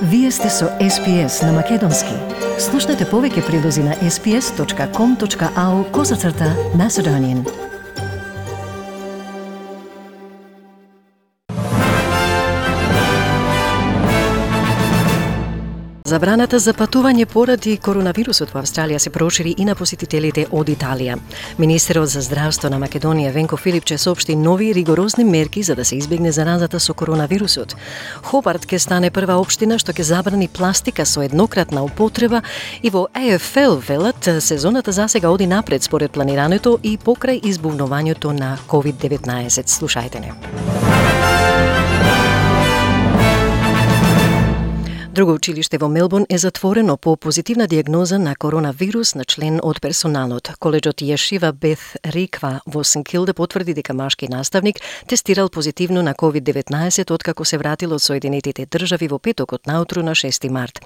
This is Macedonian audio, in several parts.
Вие сте со SPS на Македонски. Слушнете повеќе прилози на sps.com.au/Macedonian. Забраната за патување поради коронавирусот во Австралија се прошири и на посетителите од Италија. Министерот за здравство на Македонија Венко Филипче соопшти нови ригорозни мерки за да се избегне заразата со коронавирусот. Хобарт ќе стане прва општина што ќе забрани пластика со еднократна употреба и во AFL велат сезоната засега оди напред според планирането и покрај избувнувањето на COVID-19. Слушајте не. Друго училиште во Мелбурн е затворено по позитивна диагноза на коронавирус на член од персоналот. Коледжот Јешива Бет Риква во Сент Килда потврди дека машки наставник тестирал позитивно на COVID-19 откако се вратил од Соединетите држави во петокот наутру на 6 март.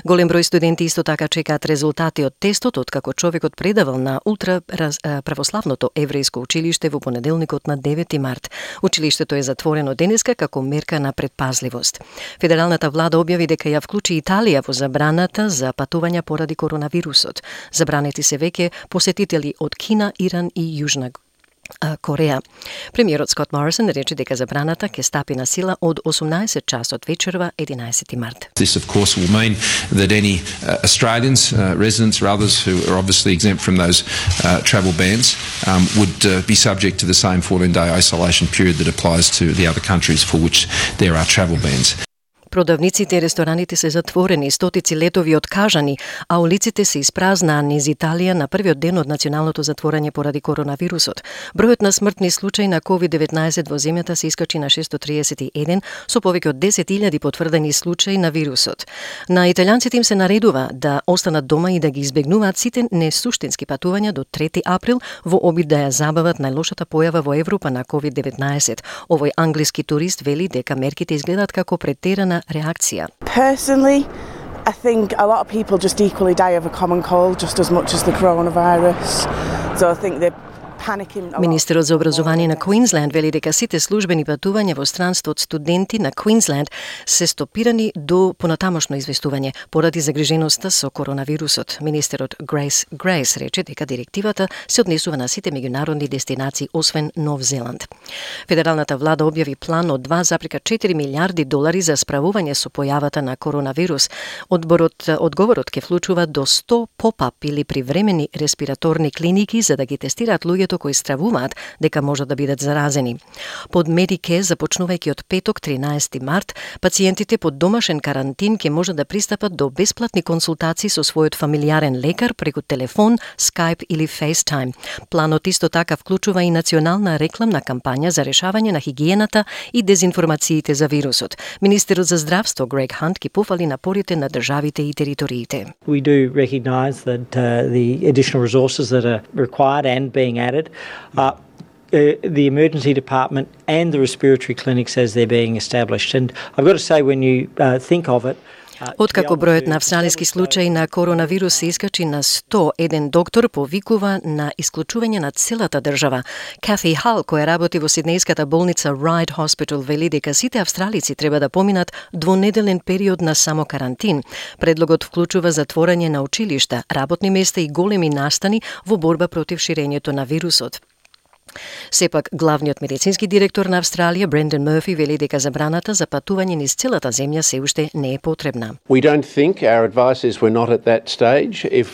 Голем број студенти исто така чекаат резултати од тестот откако човекот предавал на православното еврејско училиште во понеделникот на 9 март. Училиштето е затворено денеска како мерка на предпазливост. Федералната влада објави дека ја вклучи Италија во забраната за патувања поради коронавирусот. Забранети се веќе посетители од Кина, Иран и Јужна Кореја. Премиерот Скот Морисон рече дека забраната ќе стапи на сила од 18 часот вечерва 11 март. This of course will mean that any Australians, residents or others who are obviously exempt from those travel bans would be subject to the same 14-day isolation period that applies to the other countries for which there are travel bans. Продавниците и рестораните се затворени, стотици летови откажани, а улиците се испразнаа низ Италија на првиот ден од националното затворање поради коронавирусот. Бројот на смртни случаи на COVID-19 во земјата се искачи на 631 со повеќе од 10.000 потврдени случаи на вирусот. На италијанците им се наредува да останат дома и да ги избегнуваат сите несуштински патувања до 3 април во обид да ја забават најлошата појава во Европа на COVID-19. Овој англиски турист вели дека мерките изгледаат како претерана реакција. Personally, I think a lot of people just equally die of a common cold just as much as the coronavirus. So I think they're panicking. Министерот за образование на Квинсленд вели дека сите службени патувања во странство од студенти на Квинсленд се стопирани до понатамошно известување поради загриженоста со коронавирусот. Министерот Грейс рече дека директивата се однесува на сите меѓународни дестинации освен Нов Зеланд. Федералната влада објави план од 2,4 милиарди долари за справување со појавата на коронавирус. Одговорот ќе вклучува до 100 поп-ап или привремени респираторни клиники за да ги тестираат луѓето кои стравуваат дека можат да бидат заразени. Под Медике, започнувајќи од петок 13 март, пациентите под домашен карантин ќе можат да пристапат до бесплатни консултации со својот фамилијарен лекар преку телефон, Skype или FaceTime. Планот исто така вклучува и национална рекламна кампања за решавање на хигиената и дезинформациите за вирусот. Министерот за здравство Грег Хант ги пофали напорите на државите и териториите. We do recognise that the additional resources that are required and being added the emergency department and the respiratory clinics as they're being established. And I've got to say, when you think of it, Откако бројот на австралиски случаи на коронавирус се искачи на 100, еден доктор повикува на исклучување на целата држава. Кафи Хал, која работи во сиднејската болница Ryde Hospital, вели дека сите австралици треба да поминат двонеделен период на само карантин. Предлогот вклучува затворање на училишта, работни места и големи настани во борба против ширењето на вирусот. Сепак, главниот медицински директор на Австралија, Брендан Мърфи, вели дека забраната за патување низ целата земја се уште не е потребна. We don't think our advice is we're not at that stage. If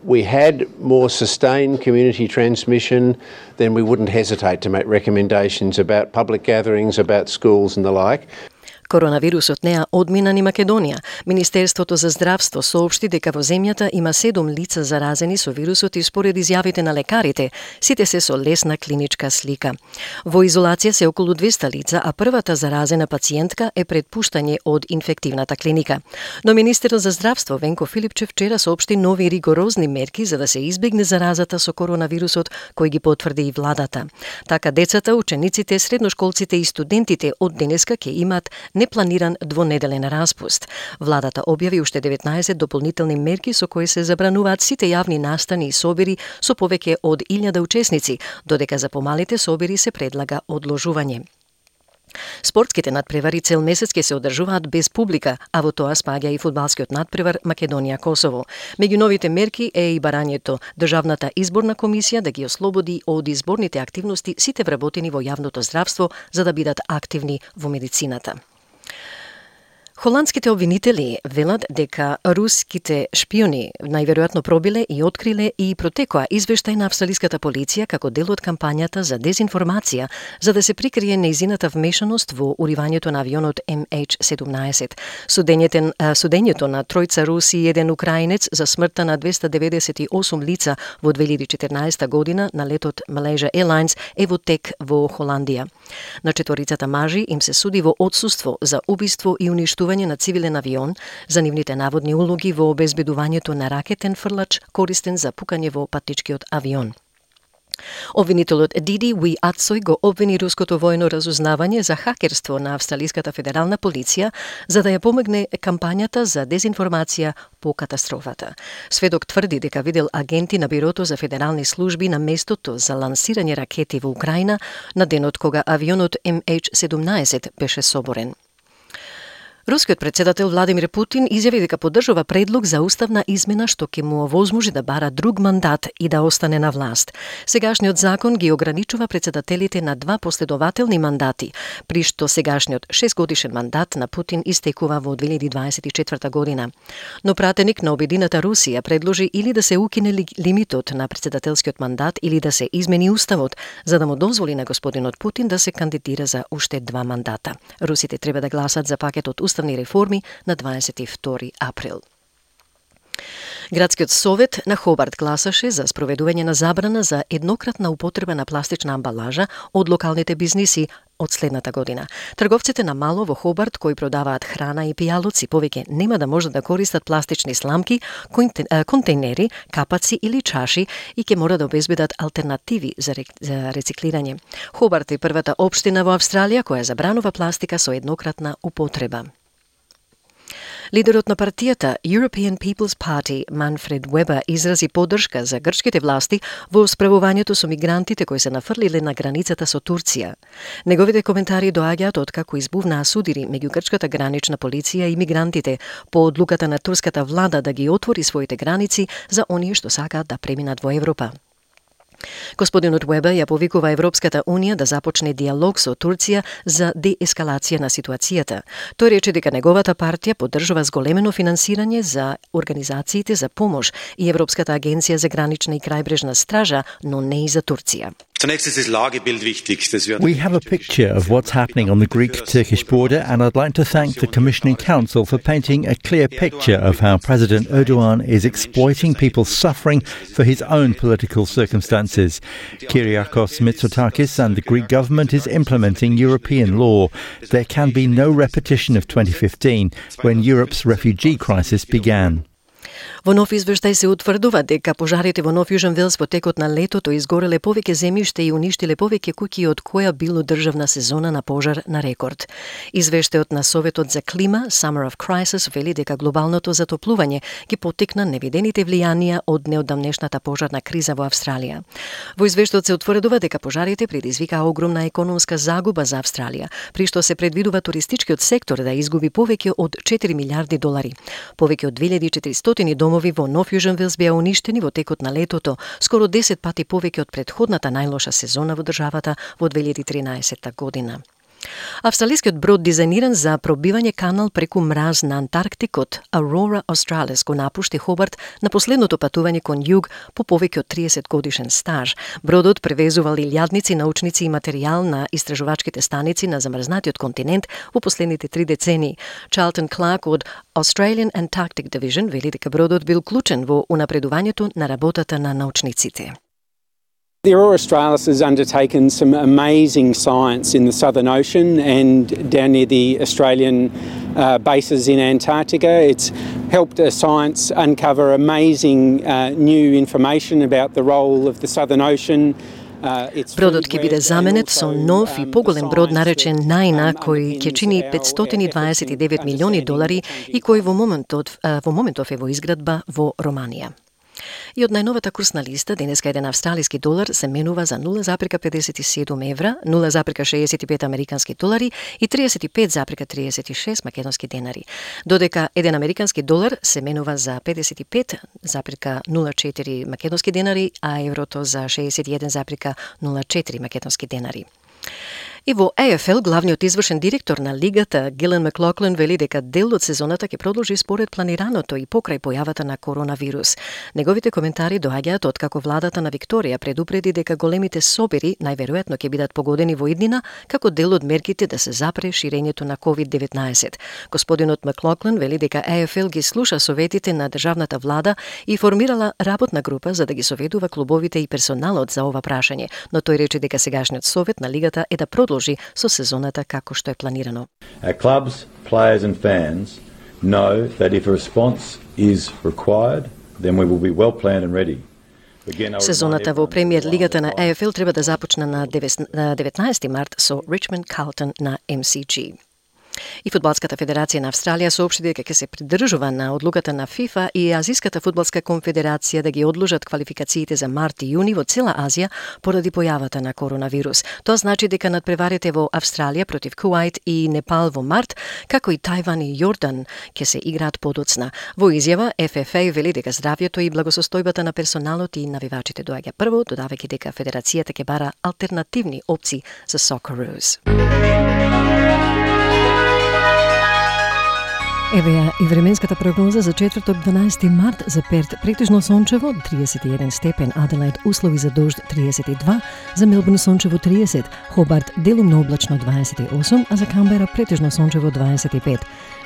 we had more sustained community transmission, then we wouldn't hesitate to make recommendations about public gatherings, about schools and the like. Коронавирусот не ја одмина ни Македонија. Министерството за здравство соопшти дека во земјата има 7 лица заразени со вирусот и според изјавите на лекарите, сите се со лесна клиничка слика. Во изолација се околу 200 лица, а првата заразена пациентка е пред пуштање од инфективната клиника. Но министерот за здравство Венко Филипче вчера соопшти нови ригорозни мерки за да се избегне заразата со коронавирусот, кој ги потврди и владата. Така децата, учениците, средношколците и студентите од денеска ќе имаат непланиран двонеделен распуст. Владата објави уште 19 дополнителни мерки со кои се забрануваат сите јавни настани и собери со повеќе од 1000 учесници, додека за помалите собери се предлага одложување. Спортските надпревари цел месец ќе се одржуваат без публика, а во тоа спаѓа и фудбалскиот надпревар Македонија-Косово. Меѓу новите мерки е и барањето Државната изборна комисија да ги ослободи од изборните активности сите вработени во јавното здравство за да бидат активни во медицината. Холандските обвинители велат дека руските шпиони најверојатно пробиле и откриле и протекоа извештај на австралиската полиција како дел од кампањата за дезинформација за да се прикрие нејзината вмешаност во уривањето на авионот MH17. Судењето на тројца руси и еден украинец за смртта на 298 лица во 2014 година на летот Malaysia Airlines е во тек во Холандија. На четворицата мажи им се суди во отсуство за убиство и уништување на цивилен авион за нивните наводни улоги во обезбедувањето на ракетен фрлач користен за пукање во патничкиот авион. Обвинителот Диди Уи Ацој го обвини руското војно разузнавање за хакерство на австралиската федерална полиција за да ја помогне кампањата за дезинформација по катастрофата. Сведок тврди дека видел агенти на Бирото за федерални служби на местото за лансирање ракети во Украина на денот кога авионот MH17 беше соборен. Рускиот председател Владимир Путин изјави дека поддржува предлог за уставна измена што ќе му овозможи да бара друг мандат и да остане на власт. Сегашниот закон ги ограничува председателите на 2 последователни мандати, при што сегашниот 6-годишен мандат на Путин истекува во 2024 година. Но пратеник на Обединета Русија предложи или да се укине лимитот на председателскиот мандат или да се измени уставот, за да му дозволи на господинот Путин да се кандидира за уште 2 мандата. Русите треба да гласат за пакетот уставни реформи на 22 април. Градскиот совет на Хобарт гласаше за спроведување на забрана за еднократна употреба на пластична амбалажа од локалните бизниси од следната година. Трговците на мало во Хобарт кои продаваат храна и пијалоци повеќе нема да можат да користат пластични сламки, контейнери, капаци или чаши и ќе мора да обезбедат алтернативи за рециклирање. Хобарт е првата општина во Австралија која забранува пластика со еднократна употреба. Лидерот на партијата European People's Party, Манфред Вебер, изрази поддршка за грчките власти во справувањето со мигрантите кои се нафрлиле на границата со Турција. Неговите коментари доаѓаат откако избувнаа судири меѓу грчката гранична полиција и мигрантите по одлуката на турската влада да ги отвори своите граници за оние што сакаат да преминат во Европа. Господинот Вебер ја повикува Европската Унија да започне диалог со Турција за деескалација на ситуацијата. Тој рече дека неговата партија поддржува зголемено финансирање за организациите за помош и Европската агенција за гранична и крајбрежна стража, но не и за Турција. We have a picture of what's happening on the Greek-Turkish border, and I'd like to thank the Commissioning Council for painting a clear picture of how President Erdogan is exploiting people's suffering for his own political circumstances. Kyriakos Mitsotakis and the Greek government is implementing European law. There can be no repetition of 2015, when Europe's refugee crisis began. Во нов извештај се утврдува дека пожарите во Нов Јужен Велс во текот на летото изгореле повеќе земјиште и уништиле повеќе куќи од која било државна сезона на пожар на рекорд. Извештајот на Советот за клима Summer of Crisis вели дека глобалното затоплување ги поттикна невидените влијанија од неодамнешната пожарна криза во Австралија. Во извештајот се утврдува дека пожарите предизвикаа огромна економска загуба за Австралија, при што се предвидува туристичкиот сектор да изгуби повеќе од 4 милиарди долари. Повеќе од 2400 домови во Нов Јужен Велс беа уништени во текот на летото, скоро 10 пати повеќе од претходната најлоша сезона во државата во 2013 година. Австралискиот брод дизајниран за пробивање канал преку мраз на Антарктикот, Aurora Australis, го напушти Хобарт на последното патување кон југ по повеќе од 30 годишен стаж. Бродот превезувал илјадници научници и материјал на истражувачките станици на замрзнатиот континент во последните 3 децении. Charlton Clark од Australian Antarctic Division вели дека бродот бил клучен во унапредувањето на работата на научниците. The Aurora Australis has undertaken some amazing science in the Southern Ocean and down near the Australian bases in Antarctica. It's helped science uncover amazing new information about the role of the Southern Ocean. Бродот ќе биде заменет со нов и поголем брод наречен Наина, кој ќе чини $529 милиони и кој во моментов е во изградба во Романија. И од најновата курсна листа, денеска еден австралиски долар се менува за 0,57 евра, 0,65 американски долари и 35,36 македонски денари. Додека еден американски долар се менува за 55,04 македонски денари, а еврото за 61,04 македонски денари. И во АФЛ, главниот извршен директор на лигата Гилен Маклоклин вели дека дел од сезоната ќе продолжи според планираното и покрај појавата на коронавирус. Неговите коментари доаѓаат откако владата на Викторија предупреди дека големите собери најверојатно ќе бидат погодени во иднина како дел од мерките да се запре ширењето на COVID-19. Господинот Маклоклин вели дека АФЛ ги слуша советите на државната влада и формирала работна група за да ги советува клубовите и персоналот за ова прашање, но тој рече дека сегашниот совет на лигата е да продолжи со сезоната како што е планирано. Our clubs, players and fans know that if a response is required, then we will be well planned and ready. Сезоната во премиер лигата на АФЛ треба да започне на 19 март со Richmond Carlton на MCG. И Фудбалската федерација на Австралија соопшти дека ќе се придржува на одлуката на ФИФА и Азиската фудбалска конфедерација да ги одложат квалификациите за март и јуни во цела Азија поради појавата на коронавирус. Тоа значи дека надпреварите во Австралија против Куајт и Непал во март, како и Тајван и Јордан ќе се играат подоцна. Во изјава ФФА вели дека здравјето и благосостојбата на персоналот и навивачите доаѓа прво, додавајќи дека федерацијата ќе бара алтернативни опции за Socceroos. Еве ја и временската прогноза за четврток 12 март за Перт претежно сончево 31 степен, Аделаид услови за дожд 32, за Мелбурн сончево 30, Хобарт делумно облачно 28, а за Камбера претежно сончево 25.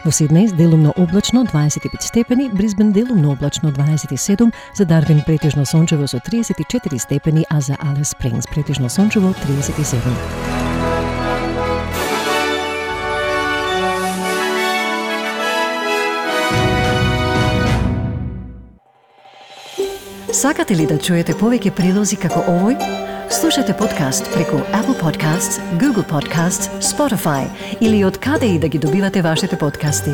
Во Сиднеј делумно облачно 25 степени, Брисбен делумно облачно 27, за Дарвин претежно сончево со 34 степени, а за Алис Спрингс претежно сончево 37. Сакате ли да чуете повеќе прилози како овој? Слушате подкаст преку Apple Podcasts, Google Podcasts, Spotify или од каде и да ги добивате вашите подкасти.